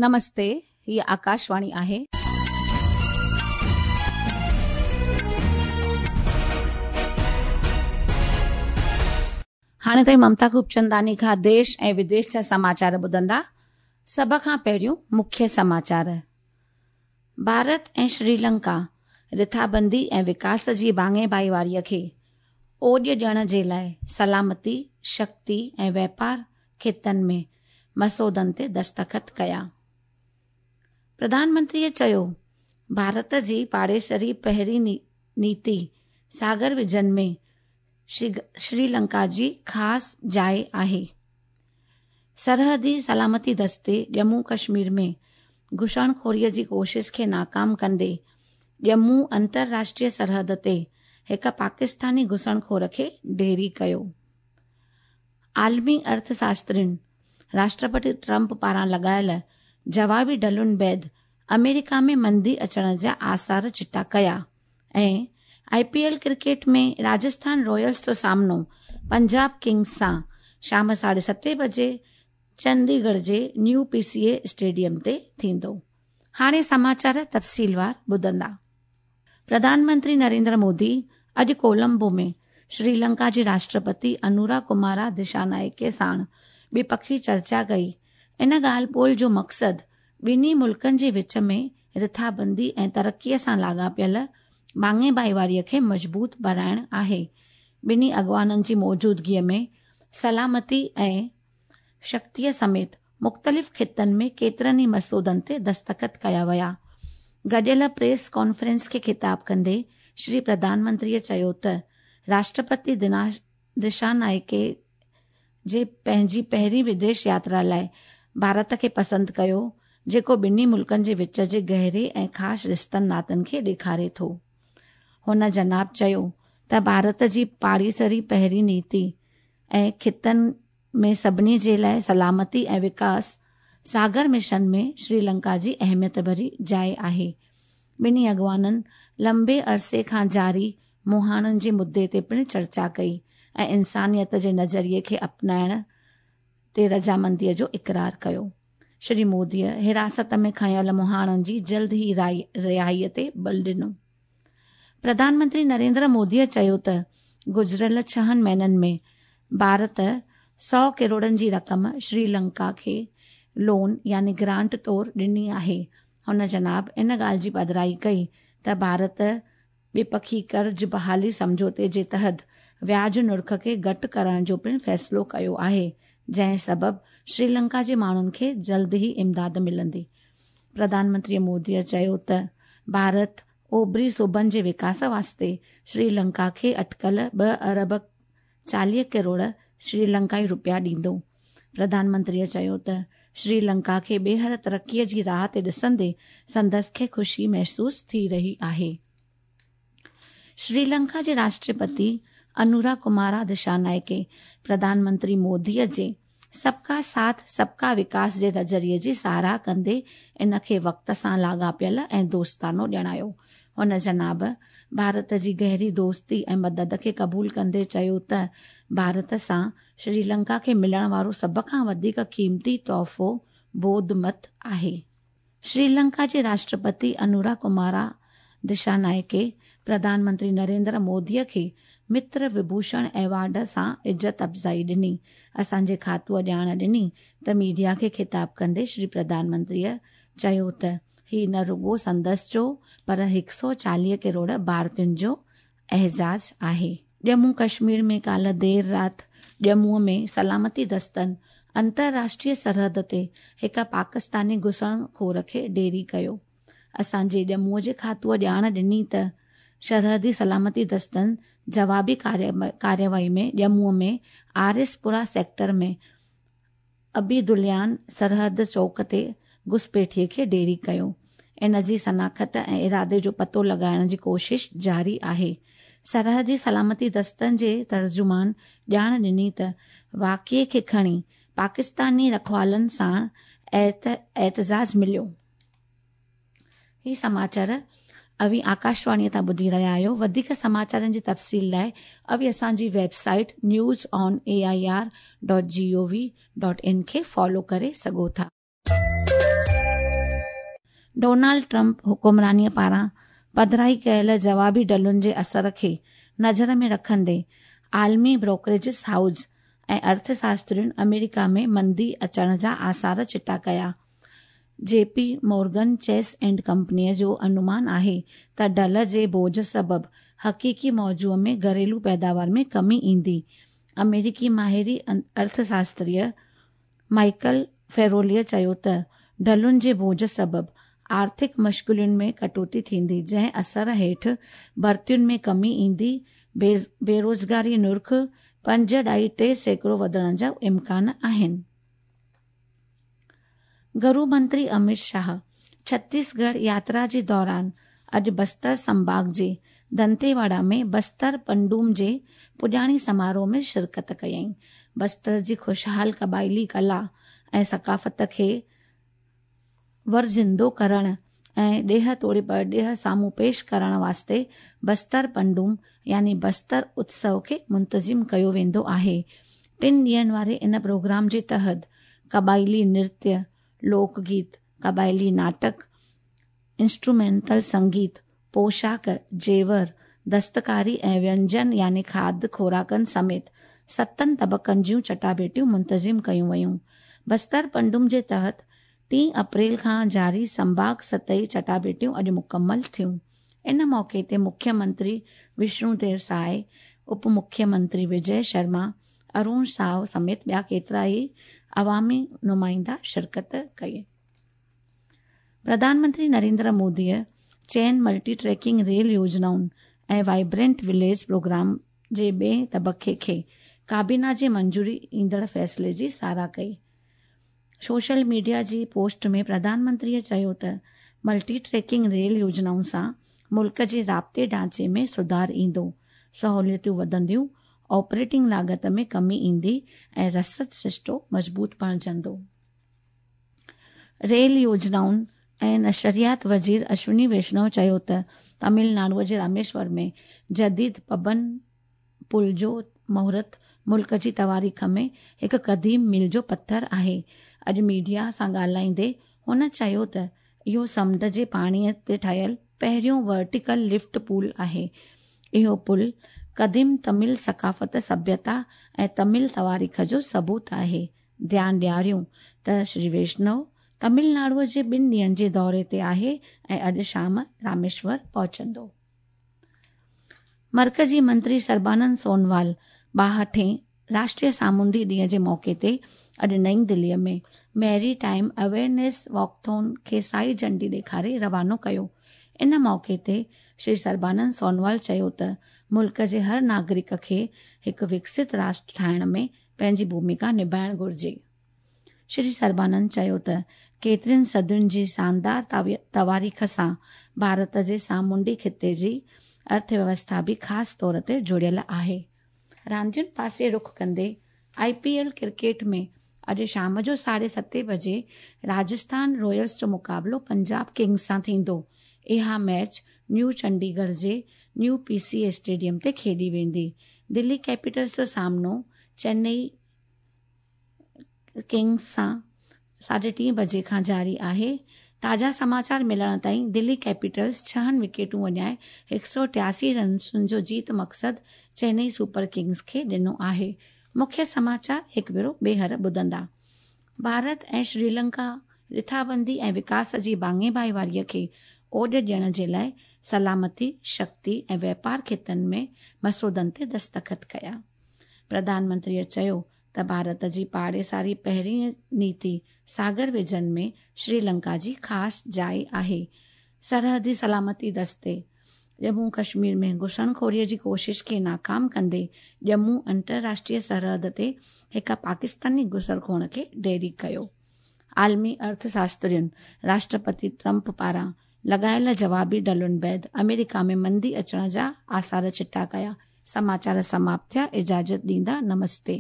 نمستي، هيء آڪاشواڻي آهي. هاڻي توهين ممتا خوبچنداني کان ديش ۽ وديش جا سماچار ٻڌندا. سڀ کان پهريون مکيه سماچار. ڀارت ۽ شريلنڪا رٿابندي ۽ وڪاس جي ڀاڱي ڀائيواريء کي اوڄ ڏيڻ جي لاء سلامتي، شڪتي ۽ واپار خطن ۾ مسودن تي دستخط ڪيا. پرڌان منتريء چيو، ڀارت جي پاڙيسري پهرين نيتي ساگر ويزن ۾ شريلنڪا جي خاص جاء آهي. سرحدي سلامتي دستي ڄمون ڪشمير ۾ گهسڻخوريء جي ڪوشش کي ناڪام ڪندي ڄمون انترراشٽريه سرحد تي هڪ پاڪستاني گهسڻخور کي ڍيري ڪيو. عالمي ارٿ شاسترين راشٽرپتي ٽرمپ پاران لڳايل جوابي ڍلن بعد آمريڪا ۾ مندي اچڻ جا آثار چٽا ڪيا ۽ I P L cricket ۾ Rajasthan Royals جو سامنو پنجاب ڪنگز سان شام ساڍي ستين بجي چنديڳڙهه جي نيو پي سي اي اسٽيڊيم تي ٿيندو. هاڻي سماچار تفصيلوار ٻڌندا. پرڌان منتري نريندر مودي اڄ ڪولمبو ۾ شريلنڪا جي راشٽرپتي انورا ڪمارا دشانائڪي ساڻ ٻپکي چرچا ڪئي. ان ڳالهه ٻولهه جو مقصد ٻنهي ملڪن جي وچ ۾ رٿابندي ۽ ترقي سان لاڳاپيل ڀاڱي ڀائيواري کي مضبوط بڻائڻ آهي. ٻنهي اڳواڻن جي موجودگي ۾ سلامتي ۽ شڪتي سميت مختلف خطن ۾ ڪيترن ئي مسودن تي دستخط ڪيا ويا. گڏيل پريس ڪانفرنس کي خطاب ڪندي شري پرڌان منتري چيو ته راشٽرپتي دشانائڪي جي پنهنجي پهرين وديش ياترا لاء ڀارت کي پسند ڪيو، جيڪو ٻنهي ملڪن جي وچ جي گهري ۽ خاص رشتن ناتن کي ڏيکاري ٿو. هن جناب چيو ته ڀارت جي پاڙيسري پهرين نيتي ۽ خطن ۾ سڀني جي لاء سلامتي ۽ وڪاس ساگر مشن ۾ شريلنڪا جي اهميت ڀري جاء آهي. ٻنهي اڳواڻن لنبي عرصي کان جاري مهاڻن جي مدعي تي پڻ چرچا ڪئي ۽ انسانيت جي نظريي کي اپنائڻ تي رضامندي جو اقرار ڪيو. شري موديء حراست ۾ کنيل مهاڻن جي جلد ئي رهائي تي بل ڏنو. پرڌان منتري نريندر موديء چيو ته گذريل ڇهن مهينن ۾ ڀارت سئو ڪروڙن جي رقم شري لنڪا کي لون يعني گرانٽ طور ڏني آهي. هن جناب ان ڳالهه جي پڌرائي ڪئي ته ڀارت ٻپکي قرض بحالي سمجهوتي جي تحت وياج نرخ کي گهٽ ڪرڻ جو پڻ فيصلو ڪيو آهي، جنهن سبب شريلنڪا جي ماڻهن کي جلد ئي امداد ملندي. پرڌان منتري مودي چيو ته ڀارت اوڀري صوبن جي وڪاس واسطي شريلنڪا کي اٽڪل ٻه ارب 40 ڪروڙ شريلنڪائي روپيا ڏيندو. پرڌان منتريء چيو ته شري لنڪا کي ٻيهر ترقيء جي راهه تي ڏسندي سندس کي خوشي محسوس ٿي رهي آهي. شري لنڪا جي راشٽرپتي انورا ڪمارا دشانائڪي پرڌان منتري موديء جي سب ڪا ساٿ سب ڪا وڪاس جي نظريي جي ساراهه ڪندي ان کي وقت سان لاڳاپيل ۽ دوستانو ڄاڻايو. هن جناب ڀارت جي گهري دوستي ۽ مدد کي قبول ڪندي چيو ته ڀارت سان شريلنڪا کي ملڻ وارو سڀ کان وڌيڪ قيمتي تحفو ٻوڌ مت آهي. شريلنڪا جي راشٽرپتي انورا ڪمارا دشانائڪي پرڌان منتري نريندر مودي کي متر وڀوشڻ ايوارڊ سان عزت افزائي ڏني. اسان جي کاتوء ڄاڻ ڏني ته ميڊيا کي خطاب ڪندي شري پرڌان منتريء چيو ته هي نه رڳو سندس جو پر هڪ سئو 40 ڪروڙ ڀارتين جو اعزاز آهي. ڄمون ڪشمير ۾ ڪالهه دير رات ڄمون ۾ سلامتي دستن انترراشٽريه سرحد تي هڪ پاڪستاني گهسڻ خور کي ڍيري ڪيو. اسان جي ڄمون جي کاتوء ڄاڻ ڏني ته سرحدي سلامتي دستن جوابي ڪارروائي ۾ ڄمون ۾ آر ايس پورا سيڪٽر ۾ عبيداليان سرحد چوڪ تي گهسپيٺي کي ڍيري ڪيو. ان جي شناخت ۽ ارادي جو پتو لڳائڻ جي ڪوشش جاري آهي. سرحدي سلامتي دستن جي ترجمان ڄاڻ ڏني ته واقعي کي کڻي پاڪستاني رکوالن ساڻ اعتزاز مليو. هي سماچار اوهين آڪاشواڻيء تان ٻڌي رهيا آهيو. وڌيڪ سماچارن جي تفصيل لاء اوهين اسان جي website news on A I R dot G O V dot in کي فالو ڪري سگهو ٿا. ڊونالڊ ٽرمپ حڪمرانيء پاران پڌرائي ڪيل جوابي ڍلن جي اثر کي نظر ۾ رکندي عالمي بروڪريجز هائوس ۽ ارٿ شاسترين آمريڪا ۾ مندي اچڻ جا آثار چٽا ڪيا. جي پي مورگن چيس اينڊ ڪمپنيء جو انومان آهي ته ڍل جي بوجهه سبب حقيقي موضوع ۾ گهريلو پيداوار ۾ ڪمي ايندي. آمريڪي ماهر ارٿ شاستري مائيڪل فيروليء چيو ته ڍلن جي بوجهه سبب آرٿڪ مشغولين ۾ ڪٽوتي ٿيندي، جنهن اثر هيٺ ڀرتين ۾ ڪمي ايندي، بيروزگاري نرخ 5.3% وڌڻ جا امڪان آهن. گهرو منتري امت شاهه ڇتيسڳڙهه ياترا جي دوران اڄ بستر سنڀاڳ جي دنتيواڙا ۾ بستر پنڊوم جي پڄاڻي سماروهه ۾ شرڪت ڪيائين. بستر جي خوشحال قبائلي ڪلا ۽ ثقافت کي ورزندو ڪرڻ ۽ ڏيهه توڙي پرڏيهه سامهون پيش ڪرڻ واسطي بستر پنڊوم يعني بستر اتسو کي منتظم ڪيو ويندو آهي. ٽن ڏينهن واري ان پروگرام جي تحت قبائلي نرتيه، لوڪ گيت، قبائلي ناٽڪ، انسٽرومينٽل سنگيت، پوشاڪ، زيور، دستڪاري ۽ وينجن يعني کاڌ خوراڪن سميت ستن طبقن جون چٽاڀيٽيون منتظم ڪيون ويون. بستر پنڊوم جي تحت 3 اپريل کان جاري سنڀاڳ سطحي چٽاڀيٽيون اڄ مڪمل ٿيون. ان موقعي تي مکيه منتري وشنو ديو ساء، اپ مکيه منتري وجي شرما، ارون ساء سميت ٻيا ڪيترائي عوامي نمائندا شرڪت ڪئي. پرڌان منتري نريندر موديء چئن ملٽي ٽريڪنگ ريل يوجنائن ۽ وائبرنٽ وليج پروگرام جي ٻئين طبقي کي ڪابينا جي منظوري ايندڙ فيصلي جي ساراهه ڪئي. سوشل ميڊيا جي پوسٽ ۾ پرڌان منتريء چيو ته ملٽي ٽريڪنگ ريل يوجنائن سان ملڪ جي رابطي ڍانچي ۾ سڌار ايندو، سهولتون وڌنديون، آپريٽنگ لاڳت ۾ ڪمي ايندي ۽ رسد سرشتو مضبوط بڻجندو. ريل يوجنائن ۽ نشريات وزير اشوني ويشنو چيو ته تامل ناڊو جي راميشور ۾ جديد پبن پل جو مهورت ملڪ جي تواريخ ۾ هڪ قديم ميل جو پٿر آهي. اڄ ميڊيا سان ڳالهائيندي هن چيو ته اهو سمنڊ جي پاڻي تي ٺهيل پهريون ورٽيڪل لفٽ پل آهي. اهو پل قديم تمل ثقافت، سڀيتا ۽ تمل تواريخ جو ثبوت آهي. ڌيان ڏياريون ته شري ويشنو تمل ناڊو جي ٻن ڏينهن جي دوري تي آهي ۽ اڄ شام راميشور پهچندو. مرڪزي منتري سربانند سونوال 62هين راشٽريه سامونڊي ڏينهن جي موقعي تي اڄ نئين دهليء ۾ ميري ٽائيم اويئرنيس واڪٿون کي سائي جهنڊي ڏيکاري روانو ڪيو. ان موقعي تي شري سربانند سونوال چيو ته ملڪ جي هر ناگرڪ کي هڪ وڪست راشٽر ٺاهڻ ۾ پنهنجي ڀوميڪا نڀائڻ گهرجي. شري سربانند چيو ته ڪيترين صدين جي شاندار تواريخ سان ڀارت جي سامونڊي خطي جي ارٿ ويوسٿا به خاص طور تي جڙيل آهي. راندين پاسي رخ ڪندي آء پي ايل ڪرڪيٽ ۾ اڄ شام جو 7:30 بجي راجسٿان رائلز جو مقابلو پنجاب ڪنگز سان ٿيندو. اها ميچ نيو چنڊيڳڙهه جي نيو پي سي اي اسٽيڊيم تي کيڏي ويندي. دلي ڪيپيٽلز جو سامنو چنئي ڪنگز سان 3:30 بجي کان جاري آهي. تازا سماچار ملڻ تائين دلي ڪيپيٽلز ڇهن وڪيٽون وڃائي 183 رنسن جو جيت مقصد چينئي سپر ڪنگز کي ڏنو آهي. مکيه سماچار هڪ ڀيرو ٻيهر ٻڌندا. ڀارت ۽ شريلنڪا رٿابندي ۽ وڪاس جي ڀاڱي ڀائيواري کي اوڏ ڏيڻ جي لاء سلامتي، شڪتي ۽ واپار خطن ۾ مسودن تي دستخط ڪيا. پرڌان منتريء چيو ته ڀارت جي پاڙيسري پهرين نيتي ساگر ويجن ۾ شريلنڪا جي خاص جاء آهي. سرحدي سلامتي دستي ڄمون ڪشمير ۾ گهسڻخوري جي ڪوشش کي ناڪام ڪندي ڄمون انترراشٽريه سرحد تي هڪ پاڪستاني گهسڻخور کي ڍيري ڪيو. عالمي ارٿ شاسترين راشٽرپتي ٽرمپ پاران لڳايل جوابي ڍلن بعد آمريڪا ۾ مندي اچڻ جا آثار چٽا ڪيا. سماچار سماپت ٿيا، اجازت ڏيندا، نمستي.